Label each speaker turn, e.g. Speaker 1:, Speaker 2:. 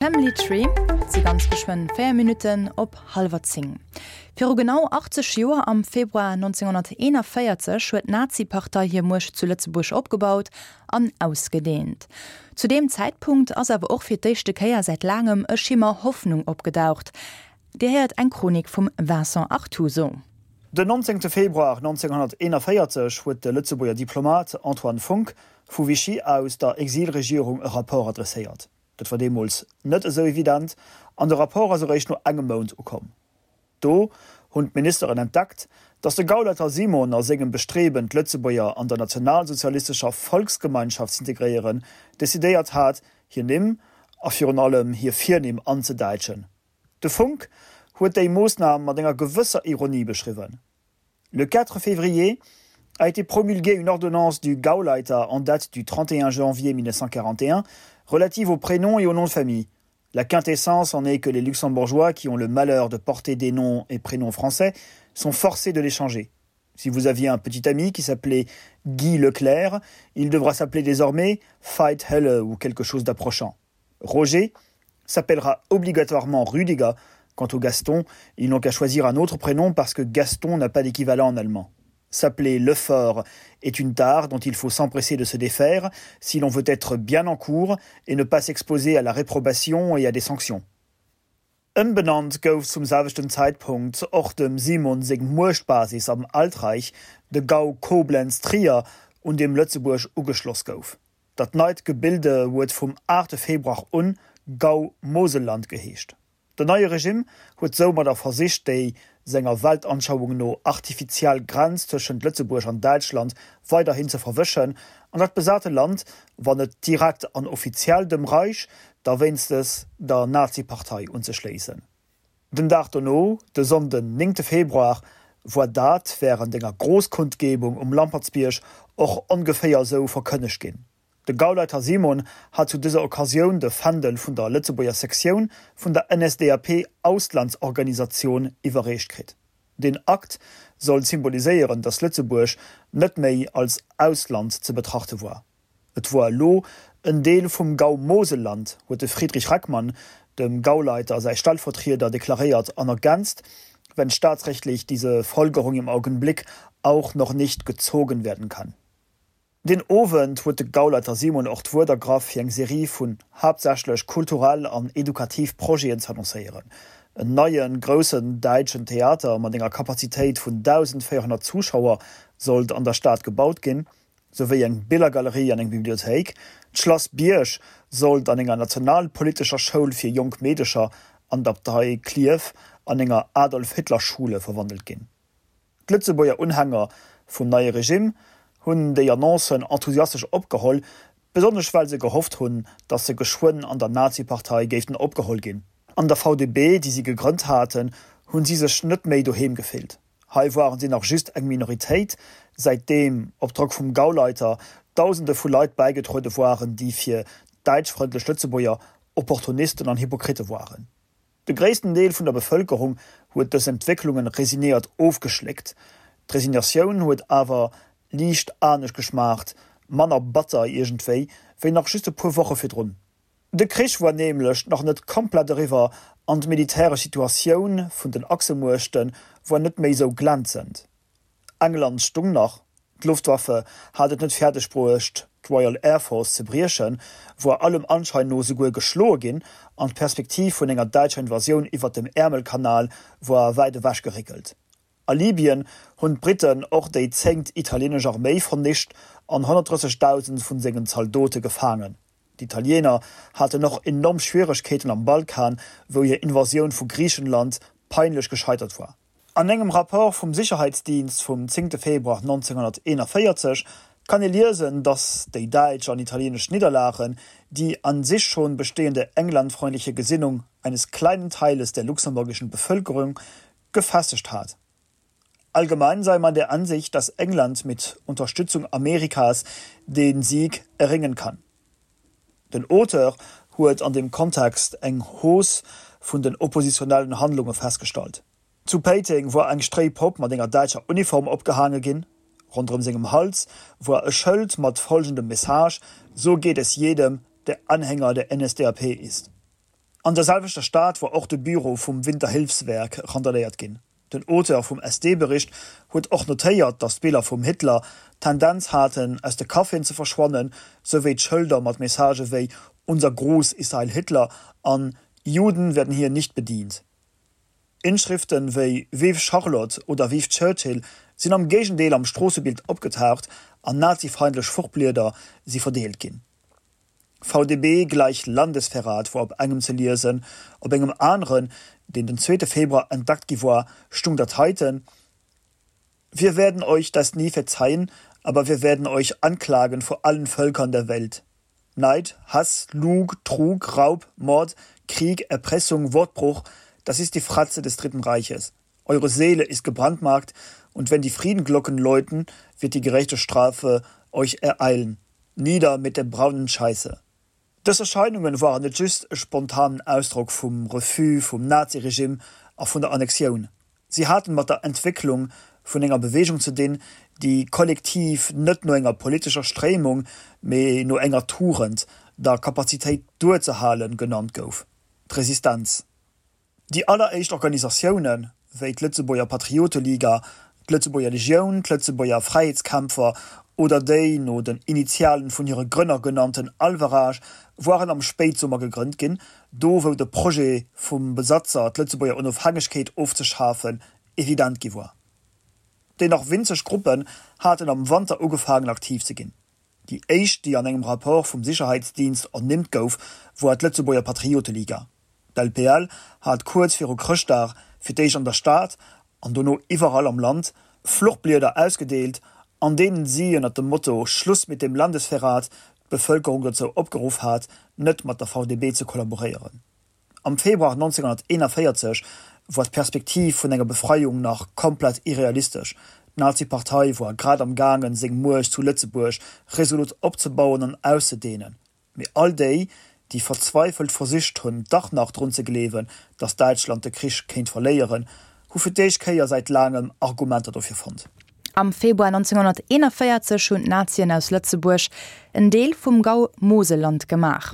Speaker 1: Family Tree, Et si ganz geschwënn 4 Minutten op hallwer 10. Viru genau 80 Joer, am Februar 1941, huet d'Nazi-Partei hir Muecht zu Lëtzebuerg opgebaut an ausgedeent. Zu deem Zäitpunkt ass awer och fir d'éischte Kéier säit laangem e Schimmer Hoffnung opgedaucht. Dir héiert eng Chronik vum Vincent Artuso.
Speaker 2: Den 19 Februar 1941 huet de Lëtzebuerger Diplomat Antoine Funck vu Vichy aus der Exilregierung e Rapport adresséiert. Dat war deemools net esou evident an de Rapport ass eréischt no engem Mount ukomm. Do hunn d'Ministeren entdeckt, datt de Gauleiter Simon a sengem Bestreben, d'Lëtzebuerger an der nationalsozialistescher Volksgemeinschaft z'integréieren, decidéiert hat, hir Nimm a virun allem hir Virnimm anzedäitschen. De Funck huet déi Moossnam mat enger gewësser Ironie beschriwwen. Le 4 février a été promulguée une ordonnance du Gauleiter en date du 31 janvier 1941 relative aux prénoms et aux noms de famille. La quintessence en est que les luxembourgeois qui ont le malheur de porter des noms et prénoms français sont forcés de les changer. Si vous aviez un petit ami qui s'appelait Guy Leclerc, il devra s'appeler désormais Fight Helle ou quelque chose d'approchant. Roger s'appellera obligatoirement Rüdiger. Quant au Gaston, ils n'ont qu'à choisir un autre prénom parce que Gaston n'a pas d'équivalent en allemand. S'appeler Lefort est une tare dont il faut s'empresser de se défaire si l'on veut être bien en cours et ne pas s'exposer à la réprobation et à des sanctions. Ëmbenannt gouf zum selwechten Zäitpunkt och dem Simon seng Muechtbasis am Altreich, de Gau Koblenz-Trier, un deem Lëtzebuerg ugeschloss gouf. Dat neit Gebilde huet vum 8 Februar un Gau Moselland geheescht. Den neie Regimm huet soumadder versicht déi, senger Weltanschauung no, artifiziell Grenz tëschent Lëtzebuerg an Däitschland weiderhin ze verwëschen an dat besate Land, wann net direkt an offiziell dem Reich, da wéinstes der Nazipartei unzeschléissen. Den Dag dono, de Sonnden 9 Februar, woar dat wärend enger Großkundgebung um Lampertsbierg och ongeféier esou verkënnegt ginn. De Gauleiter Simon hat zu dëser Occasioun de Fändel vun der Lëtzebuerger Sektioun vun der NSDAP-Auslandsorganisatioun iwwerreecht kritt. Deen Akt sollt symboliséieren, datt Lëtzebuerg net méi als Ausland ze betrachte woar. Et woar elo en Deel vum Gau Moselland, huet de Friedrich Reckmann, dem Gauleiter säi Stellvertrieder, deklaréiert an ergänzt, wenn staatsrechtlich diese Folgerung im Augenblick auch noch nicht gezogen werden kann. Deen Owend huet de Gauleiter Simon och d'Wuert ergraff fir eng Serie vun haaptsächlech kulturell an edukativ Projeten z'annoncéieren. En neien, groussen däitschen Theater mat enger Kapazitéit vun 1.400 Zuschauer sollt an der Stad gebaut ginn, souwéi eng Billergalerie an eng Bibliothéik. D'Schlass Bierg sollt an enger nationalpolitescher Schoul fir jonk Meedecher an d'Abtei Klierf an enger Adolf-Hitler-Schule verwandelt ginn. D'Lëtzebuerger Unhänger vum neie Regime hunn déi Annoncen enthusiastesch opgeholl, besonnesch well se gehofft hunn, datt se geschwënn an der Nazi-Partei géiften opgeholl ginn. An der VDB, déi si gegrënnt haten, hunn si sech net méi doheem gefillt. Hei waren si nach just eng Minoritéit, säitdeem, op Drock vum Gauleiter, Dausende vu Leit bäigetruede waren, déi fir däitschfrëndlech Lëtzebuerger Opportunisten an Hypokritte waren. De gréissten Deel vun der Bevëlkerung huet dës Entwécklungen resignéiert ofgeschléckt. D'Resignatioun huet awer liicht anescht geschmaacht, manner batter iergendwéi, wéi nach just e puer Woche virdrun. De Krich war nämlech nach net komplett eriwwer an d'militäresch Situatioun vun den Achsemuechte war net méi sou glänzend. England stung nach, d'Luftwaffe hat et net fäerdeg bruecht d'Royal Air Force ze briechen, war allem Anschein no souguer geschloe ginn an d'Perspektiv vun enger däitscher Invasioun iwwert dem Äermelkanal war wäit ewech geréckelt. A Libyen hunn d'Briten och déi zéngt italienesch Arméi vernicht an 130.000 vun sengen Zaldote gefaangen. D'Italiener haten och enorm Schwieregkeeten am Balkan, wou hir Invasioun vu Griichenland peinlech gescheitert war. An engem Rapport vum Sicherheitsdienst vum 10 Februar 1941 kann ee liesen, datt déi däitsch an italienesch Nidderlagen die an sich schon bestehende englandfreundliche Gesinnung eines kleinen Teiles der luxemburgischen Bevölkerung gefestigt hat. Allgemein sei man der Ansicht, dass England mit Unterstützung Amerikas den Sieg erringen kann. Den Auteur huet an deem Kontext eng Hausse vun den oppositionellen Handlunge festgestallt. Zu Péiteng woar eng Stréipopp mat enger däitscher Uniform opgehaange ginn. Ronderëm sengem Hals woar e Schëld mat folgendem Message, So geht es jedem, der Anhänger der NSDAP ist. An der selwechter Stad war och de Büro vum Winterhilfswerk randaléiert ginn. Den Auteur vum SD-Bericht huet och notéiert, datt d'Biller vum Hitler d'Tendenz haten, aus de Caféen ze verschwannen, souwéi d'Schëlder mat Messagë wéi Unser Gruß ist Heil Hitler an Juden werden hier nicht bedient. Inschriften wéi Vive Charlotte oder Vive Churchill sinn am Géigendeel am Stroossebild opgetaucht an nazifeindlech Fluchblieder si verdeelt ginn. VDB gleich Landesverrat wor op engem ze liesen, op engem aneren, deen den zweete Februar entdeckt gi wor, stung dat heiten, Wir werden euch das nie verzeihen, aber wir werden euch anklagen vor allen Völkern der Welt. Neid, Hass, Lug, Trug, Raub, Mord, Krieg, Erpressung, Wortbruch, das ist die Fratze des Dritten Reiches. Eure Seele ist gebrandmarkt, und wenn die Friedenglocken läuten, wird die gerechte Strafe euch ereilen. Nieder mit der braunen Scheiße. Dës Erscheinungen waren net just e spontanen Ausdrock vum Refus vum Naziregime a vun der Annexioun. Si haten mat der Entwécklung vun enger Beweegung ze dinn, déi kollektiv net no enger politescher Stréimung, mee no enger Tugend, der Kapazitéit duerzehalen, genannt gouf, d'Resistenz. Déi alleréischt Organisatiounen, wéi d'Lëtzebuerger Patrioteliga, d'Lëtzebuerger Legioun, d'Lëtzebuerger Fräiheetskämpfer oder déi no den Initialen vun hire Grënner genannten Alverage, woaren am Spéitsummer gegrënnt ginn, do wou de Projet vum Besatzer, d'Lëtzebuerger Onofhängegkeet ofzeschafen, evident gi woar. Déi nach winzeg Gruppen haten am Wanter ugefaangen aktiv ze ginn. Déi éischt, déi an engem Rapport vum Sicherheitsdienst ernimmt gouf, woar d'Lëtzebuerger Patrioteliga. D'LPL hat kuerz viru Chrëschtdag fir d'éischt an der Stad an dono iwwerall am Land Fluchblieder ausgedeelt, an deenen si ënner dem Motto Schluss mit dem Landesverrat d'Bevëlkerung dozou opgeruff hat, net mat der VDB ze kollaboréieren. Am Februar 1941 war d'Perspektiv vun enger Befreiung nach komplett irrealistesch, d'Nazi-Partei war grad am gaangen, seng Muecht zu Lëtzebuerg resolut opzebauen an auszedehnen. Mee all déi, déi verzweifelt versicht hunn, dach nach drun ze gleewen, datt Däitschland de Krich kéint verléieren, hu fir d'éischt Kéier säit laangem Argumenter dofir fonnt.
Speaker 1: Am Februar 1941 hunn d'Nazien aus Lëtzebuerg en Deel vum Gau Moselland gemaach.